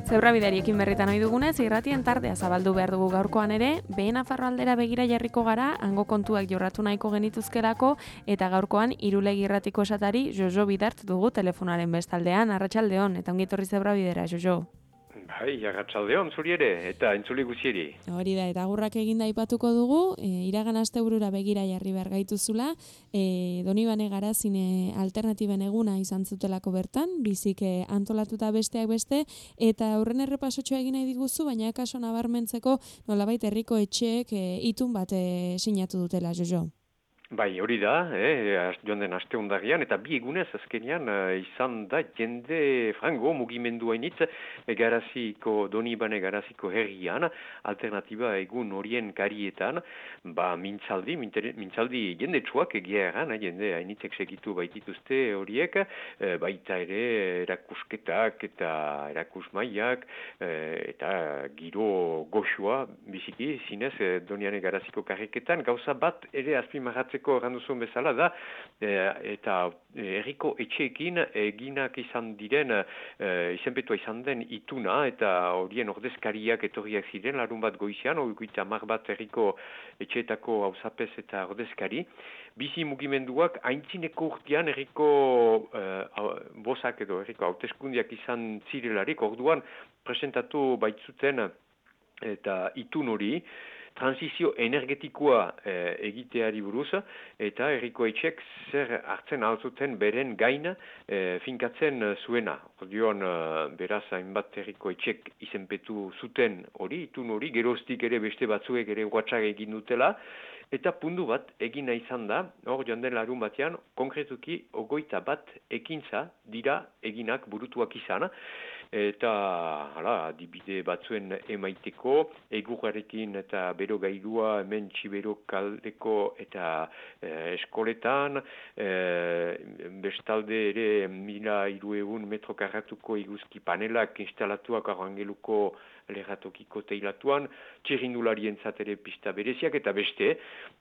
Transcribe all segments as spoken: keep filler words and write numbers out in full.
Zebrabideariekin berritan ohi dugunez, irratien tardea zabaldu behar dugu gaurkoan ere, behe Nafarro aldera begira jarriko gara, hango kontuak jorratu nahiko genituzkelako, eta gaurkoan irulegi irratiko esatari Jojo Bidart dugu telefonaren bestaldean, arratsaldeon, eta ongi etorri Zebrabidera, Jojo. Bai, arratsaldeon zuri ere, eta entzule guzieri. Hori da, eta agurrak eginda aipatuko dugu, e, iragan asteburura begira jarri behar gaituzula, e, Donibane Garazine alternatiben eguna izan zutelako bertan, bizik e, antolatuta besteak beste, eta aurren errepasotxoa egin nahi diguzu, baina kaso nabarmentzeko nolabait herriko etxeek e, itun bat e, sinatu dutela, Jojo. Bai, hori da, eh, joan den aste hondagian, eta bi egunez azkenean uh, izan da jende frango mugimendu hainitz Garaziko, Donibane Garaziko herrian, alternatiba egun horien karietan, ba mintzaldi, mintzaldi jende txuak egia eran, jende hainitzek segitu baitituzte horiek, eh, baita ere erakusketak eta erakusmaiak, eh, eta giro goxua biziki, zinez eh, Donibane Garaziko karriketan, gauza bat ere azpimarratzen erranduzun bezala da, e, eta herriko etxeekin eginak izan diren, e, izenpetua izan den ituna, eta horien ordezkariak etorriak ziren, larun bat goizean, oikuita mar bat herriko etxeetako hauzapez eta ordezkari. Bizi mugimenduak haintzineko urtean herriko e, bozak edo herriko hauteskundiak izan zirelarik, orduan presentatu baitzuten eta itun hori, transizio energetikoa e, egiteari buruz, eta herriko etxek zer hartzen altzuten beren gaina e, finkatzen zuena. Orduan, e, beraz, hainbat herriko etxek izenpetu zuten hori, itun hori, geroztik ere beste batzuek ere WhatsApp egin dutela, eta puntu bat egina izan da, hor joan den larun batean, konkretuki ogoita bat ekintza dira eginak burutuak izan, eta hala, adibide batzuen emaiteko, egurrarekin eta bero gailua hemen txibero kaldeko eta e, eskoletan, e, bestalde ere mila hiruehun metro karratuko iguzki panelak instalatuak Arrangeluko lerratokiko teilatuan, txirrindularien zatere pista bereziak eta beste,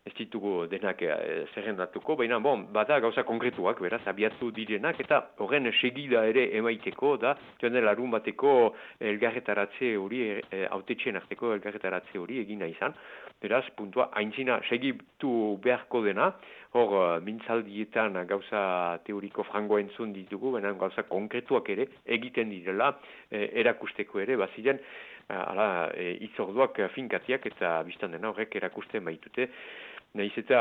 ez ditugu denak e, zerrendatuko, baina bon, bada gauza konkretuak, beraz, abiatu direnak, eta horren segida ere emaiteko da, joan dela larun bateko elgarretaratze hori, hautetxeen arteko elgarretaratze hori egina izan. Beraz, puntua, haintzina segitu beharko dena, hor mintzaldietan gauza teoriko frango entzun ditugu, baina gauza konkretuak ere egiten direla, e, erakusteko ere, baziren, ala, e, itzorduak finkatiak eta biztan dena horrek erakusten baitute. Nahiz eta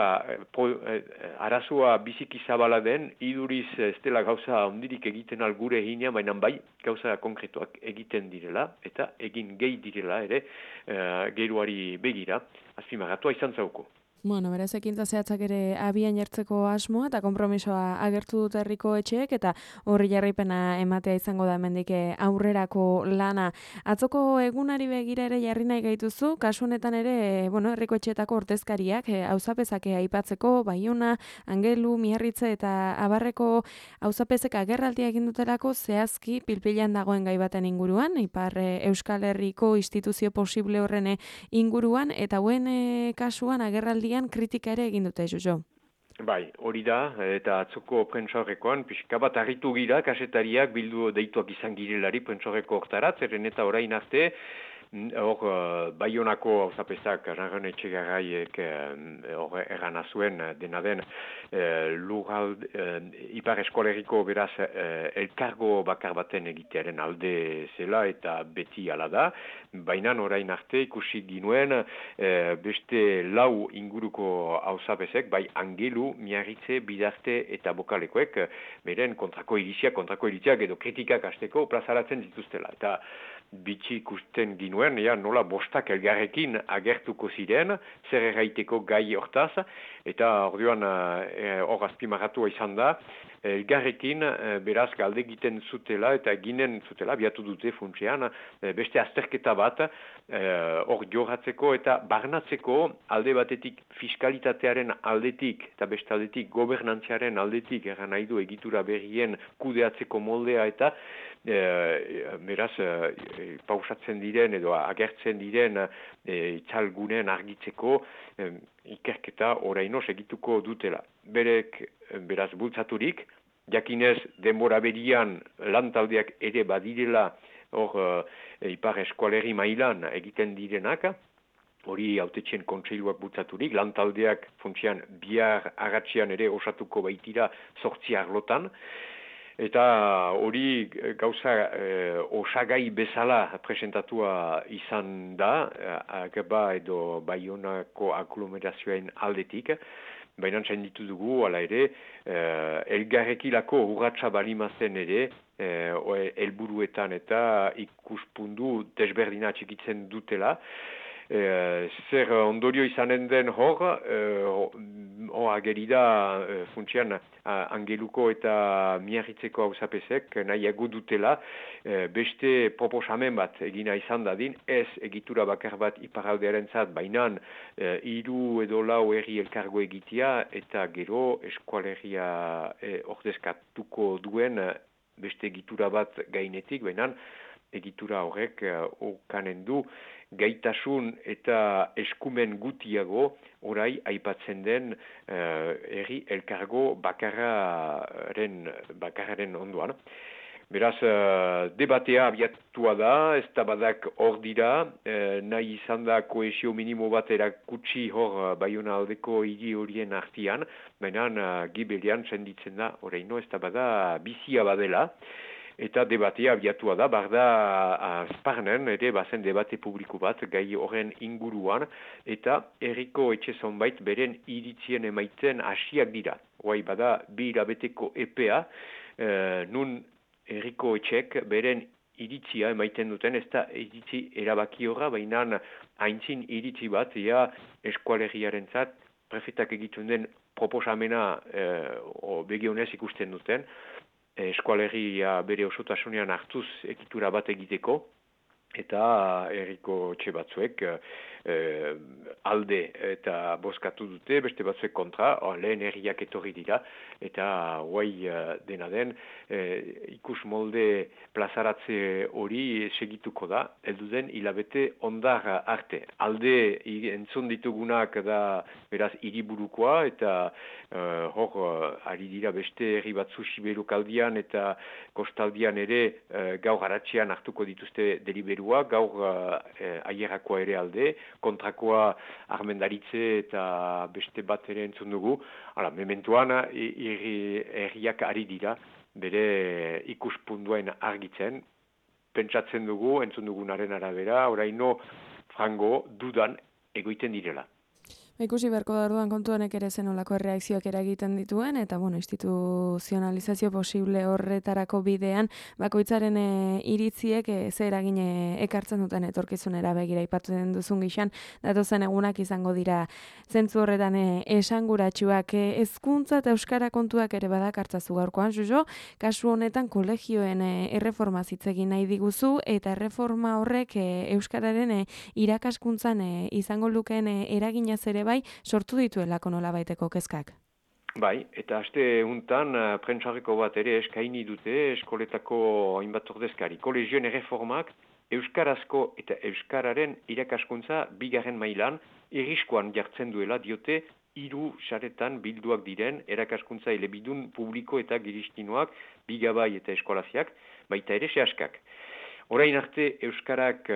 pro, eh, arazoa biziki zabala den, iduriz ez dela gauza ondirik egiten algure eginean, baina bai gauza konkretuak egiten direla, eta egin gehi direla ere eh, geruari begira, azpimagatua izan zauko. Bueno, beraz ekintza zehatzak ere abian jartzeko asmoa eta konpromisoa agertu dut herriko etxeek eta horri jarraipena ematea izango da hemendik aurrerako lana. Atzoko egunari begira ere jarri nahi gaituzu, kasu honetan ere, bueno, herriko etxeetako ordezkariak auzapezak aipatzeko, Baiona, Angelu, Miarritze eta Abarreko auzapezek agerraldia egin dutelako zehazki pilpilan dagoen gai baten inguruan, Ipar Euskal Herriko instituzio posible horren inguruan, eta hauen kasuan agerraldi kritika ere egin dute, Jojo. Bai, hori da, eta atzoko prentsaurrekoan, pixka bat harritu gira, kasetariak bildu deituak izan girelari prentsaurreko hortarat, zerren eta orain arte, hor uh, Baionako hauzapezak Rangon Etxegarraiek hor uh, errana zuen dena den uh, lurrald, uh, Ipar Eskoleriko beraz uh, elkargo bakar baten egitearen alde zela eta beti ala da, baina orain arte ikusi ginuen uh, beste lau inguruko hauzapezek, bai Angelu, Miarritze, Bidarte eta Bokalekoek, beren kontrako iriziak, kontrako iriziak edo kritikak hasteko plazaratzen dituztela. Eta bitxi ikusten ginuen, ja, nola bostak elgarrekin agertuko ziren, zer erraiteko gai hortaz, eta orduan hor uh, azpimarratua izan da, elgarrekin uh, beraz galde egiten zutela eta ginen zutela, biatu dute funtsean, uh, beste azterketa bat, hor uh, jorratzeko eta barnatzeko alde batetik fiskalitatearen aldetik eta beste aldetik gobernantziaren aldetik, erran nahi du egitura berrien kudeatzeko moldea eta uh, beraz uh, pausatzen diren edo agertzen diren e, itzalgunen argitzeko e, ikerketa oraino segituko dutela. Berek, beraz, bultzaturik, jakinez denbora berian lantaldeak ere badirela hor uh, ipar eskualerri mailan egiten direnak, hori hautetxen kontseiluak bultzaturik, lantaldeak funtsian bihar agatxian ere osatuko baitira zortzi arlotan, eta hori gauza eh, osagai bezala presentatua izan da, Ageba edo Baionako aglomerazioen aldetik, baina txenditu dugu, ala ere, eh, elgarrekilako urratsa balimazen ere, eh, helburuetan eta ikuspundu desberdina txikitzen dutela, E, zer ondorio izanen den hor, e, hor agerida e, funtsian Angeluko eta Miarritzeko hauzapezek nahiago dutela e, beste proposamen bat egina izan dadin, ez egitura bakar bat iparaldearen zat, bainan e, hiru edo lau herri elkargo egitea eta gero eskualeria e, ordezkatuko duen beste egitura bat gainetik, bainan egitura horrek okanen du gaitasun eta eskumen gutiago orai aipatzen den uh, herri elkargo bakarraren, bakarraren onduan. Beraz, uh, debatea abiatua da, ez da badak hor dira, uh, nahi izan da kohesio minimo bat erakutsi hor uh, Baiona aldeko hiri horien artian, baina uh, gibelian senditzen da, oraino ez da bada bizia badela. Eta debatea abiatua da, barda azparnen, ere bazen debate publiko bat, gai horren inguruan, eta herriko etxe zonbait beren iritzien emaiten hasiak dira. Hoai bada, bi hilabeteko epea, e, nun herriko etxek beren iritzia emaiten duten, ez da iritzi erabaki horra, baina haintzin iritzi bat, ea eskualeriaren zat, prefetak egiten den proposamena e, begionez ikusten duten, eskualeria bere osotasunean hartuz ekitura bat egiteko, eta herriko etxe batzuek eh, alde eta bozkatu dute, beste batzuek kontra, oh, lehen herriak etorri dira, eta guai dena den, eh, ikus molde plazaratze hori segituko da, heldu den hilabete ondar arte. Alde entzun ditugunak da beraz hiriburukoa, eta eh, hor ari dira beste herri batzu Siberukaldian eta kostaldian ere eh, gaur haratxean hartuko dituzte deliberua, gaur eh, aierakoa ere alde, kontrakoa armendaritze eta beste bat ere entzun dugu. Hala, mementuan herriak ari dira bere ikuspunduen argitzen, pentsatzen dugu, entzun dugunaren arabera, oraino frango dudan egoiten direla. Ikusi beharko da orduan kontuanek ere zen olako erreakzioak eragiten dituen, eta bueno, instituzionalizazio posible horretarako bidean, bakoitzaren e, iritziek e, ze eragine ekartzen duten etorkizunera begira aipatzen duzun gixan, datozen egunak izango dira zentzu horretan e, esanguratsuak. E, hezkuntza eta euskara kontuak ere badakartzazu gaurkoan, Jojo, kasu honetan kolegioen e, erreforma zitzegin nahi diguzu, eta erreforma horrek e, euskararen e, irakaskuntzan e, izango lukeen e, eraginaz ere bai, sortu dituelako nolabaiteko kezkak. Bai, eta aste untan uh, prentsarreko bat ere eskaini dute eskoletako hainbat ordezkari. Kolegioen erreformak euskarazko eta euskararen irakaskuntza bigarren mailan irriskoan jartzen duela diote hiru saretan bilduak diren erakaskuntza elebidun publiko eta giristinoak, bigabai eta eskolaziak, baita ere sehaskak. Orain arte euskarak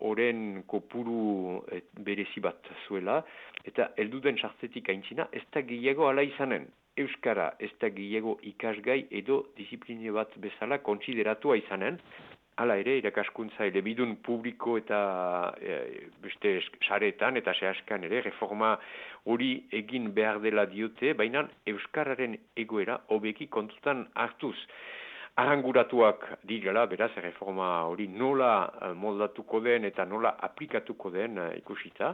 oren uh, kopuru et, berezi bat zuela, eta helduden sartzetik aintzina ez da gehiago ala izanen. Euskara ez da gehiago ikasgai edo disipline bat bezala kontsideratua izanen, hala ere irakaskuntza elebidun publiko eta e, beste saretan eta sehaskan ere reforma hori egin behar dela diote, baina euskararen egoera hobeki kontutan hartuz. Arranguratuak direla, beraz, reforma hori nola moldatuko den eta nola aplikatuko den ikusita,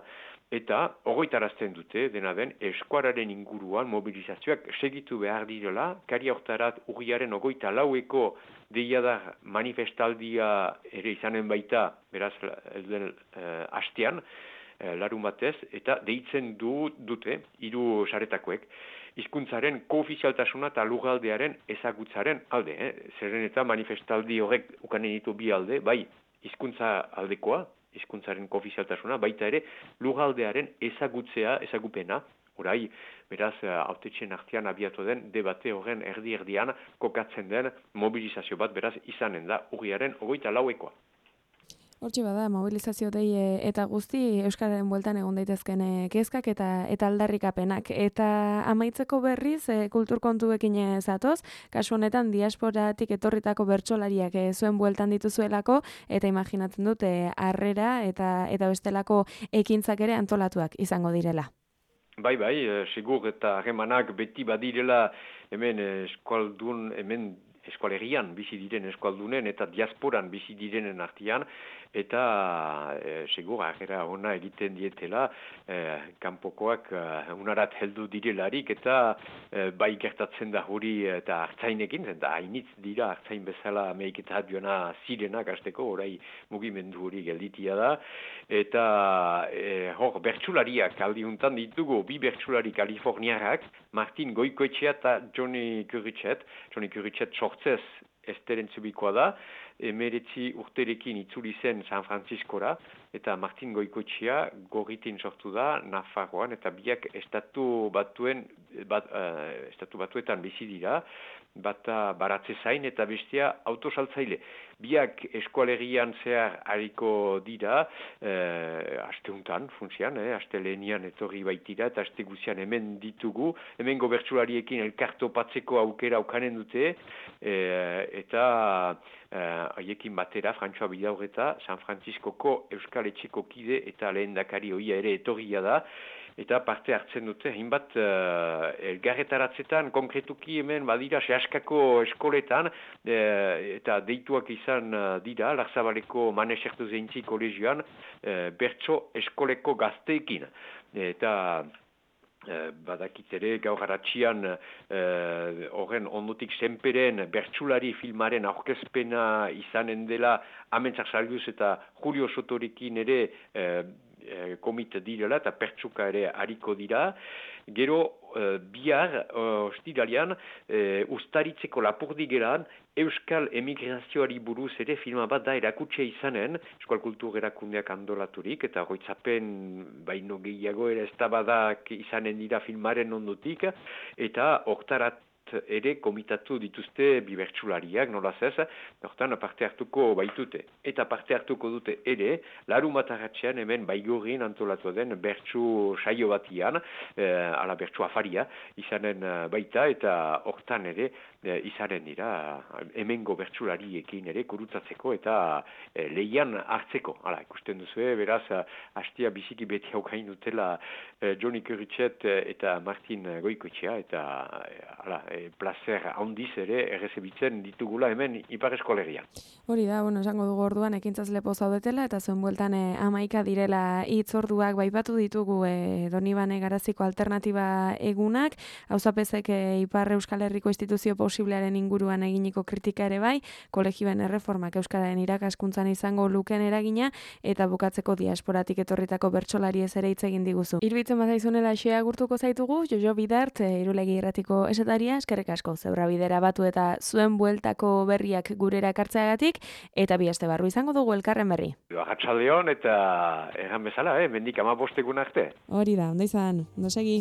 eta horretarazten dute, dena den, eskuararen inguruan mobilizazioak segitu behar direla, kari hortarat urriaren ogoita laueko deiadar manifestaldia ere izanen baita, beraz, den uh, hastean, uh, larun batez, eta deitzen du, dute, hiru saretakoek, hizkuntzaren koofizialtasuna eta lurraldearen ezagutzaren alde. Eh? Zeren eta manifestaldi horrek ukanen ditu bi alde, bai hizkuntza aldekoa, hizkuntzaren koofizialtasuna, baita ere lurraldearen ezagutzea, ezagupena, orai, beraz, hautetxen artean abiatu den debate horren erdi-erdian kokatzen den mobilizazio bat, beraz, izanen da urriaren ogoita lauekoa. Hortxe bada, mobilizazio dei eta guzti Euskararen bueltan egon daitezken kezkak eta eta aldarrikapenak. Eta amaitzeko berriz e, kultur kontuekin zatoz, kasu honetan diasporatik etorritako bertsolariak e, zuen bueltan dituzuelako, eta imaginatzen dute harrera eta eta bestelako ekintzak ere antolatuak izango direla. Bai, bai, segur eta harremanak beti badirela hemen eskualdun, hemen eskualerian bizi diren eskualdunen eta diasporan bizi direnen artean, eta e, segur harrera ona egiten dietela e, kanpokoak e, unarat heldu direlarik, eta e, bai gertatzen da hori eta hartzainekin, eta hainitz dira hartzain bezala Ameriketat joana zirenak hasteko, orai mugimendu hori gelditia da, eta e, hor bertsulariak aldi juntan ditugu, bi bertsulari kaliforniarrak, Martin Goikoetxea eta Johnny Kuritxet, Johnny Kuritxet sortzez Esteren Zubikoa da, emeretzi urterekin itzuli zen San Franciscora, eta Martin Goikoetxea gorritin sortu da Nafarroan, eta biak estatu batuen, bat, uh, estatu batuetan bizi dira, bata baratze zain eta bestea autosaltzaile. Biak eskualerian zehar hariko dira, eh, asteuntan, funtzian, eh, aste lehenian etorri baitira, eta aste guzian hemen ditugu, hemen gobertsulariekin elkartopatzeko aukera aukanen dute, eh, eta haiekin eh, batera, Frantxoa Bidaurreta, San Franciscoko Euskal Etxeko kide eta lehendakari hoia ere etorria da, eta parte hartzen dute, hainbat uh, elgarretaratzetan, konkretuki hemen badira sehaskako eskoletan, uh, eta deituak izan uh, dira, Larzabaleko Manesertu Zeintzi kolegioan, uh, bertso eskoleko gazteekin. Eta uh, badakit ere gaur haratxian horren uh, ondotik senperen bertsulari filmaren aurkezpena izanen dela Amentzak Salguz eta Julio Sotorekin ere uh, komit direla eta pertsuka ere hariko dira. Gero uh, bihar, uh, ostiralian, uh, ustaritzeko lapurdigeran, Euskal emigrazioari buruz ere filma bat da erakutsia izanen, Euskal Kultur erakundeak andolaturik, eta goitzapen baino gehiago ere eztabadak izanen dira filmaren ondotik, eta hortarat ere komitatu dituzte bibertsulariak, nolaz ez, hortan parte hartuko baitute. Eta parte hartuko dute ere, larunbat arratsean hemen Baigorrin antolatu den bertsu saio batian, eh, ala bertsu afaria, izanen baita, eta hortan ere eh, izanen dira hemengo bertsulariekin ere kurutzatzeko eta eh, lehian hartzeko. Hala, ikusten duzue, beraz, hastia biziki beti haukain dutela eh, Johnny Kuritxet eta Martin Goikoetxea, eta eh, hala, placer handiz ere errezebitzen ditugula hemen Ipar Eskolegian. Hori da, bueno, esango dugu orduan ekintzaz lepo zaudetela eta zuen bueltan e, amaika direla hitzorduak baipatu ditugu e, Donibane Garaziko alternatiba egunak, hauzapezek e, Ipar Euskal Herriko instituzio posiblearen inguruan eginiko kritika ere bai, kolegioen erreformak Euskararen irakaskuntzan izango luken eragina eta bukatzeko diasporatik etorritako bertsolari ez ere hitz egin diguzu. Irbitzen bazaizunela xea gurtuko zaitugu, Jojo Bidart, e, Irulegi Irratiko esetaria, eskerrik asko Zebra Bidera batu eta zuen bueltako berriak gurera ekartzeagatik, eta bi aste barru izango dugu elkarren berri. Arratsaldeon eta erran bezala, eh, mendik hamabost egun arte. Hori da, ondo izan, ondo segi.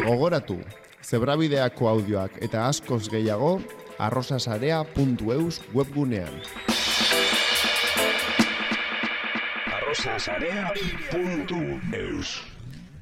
Gogoratu, Zebrabideako audioak eta askoz gehiago arrosasarea puntu eus webgunean. arrosasarea puntu eus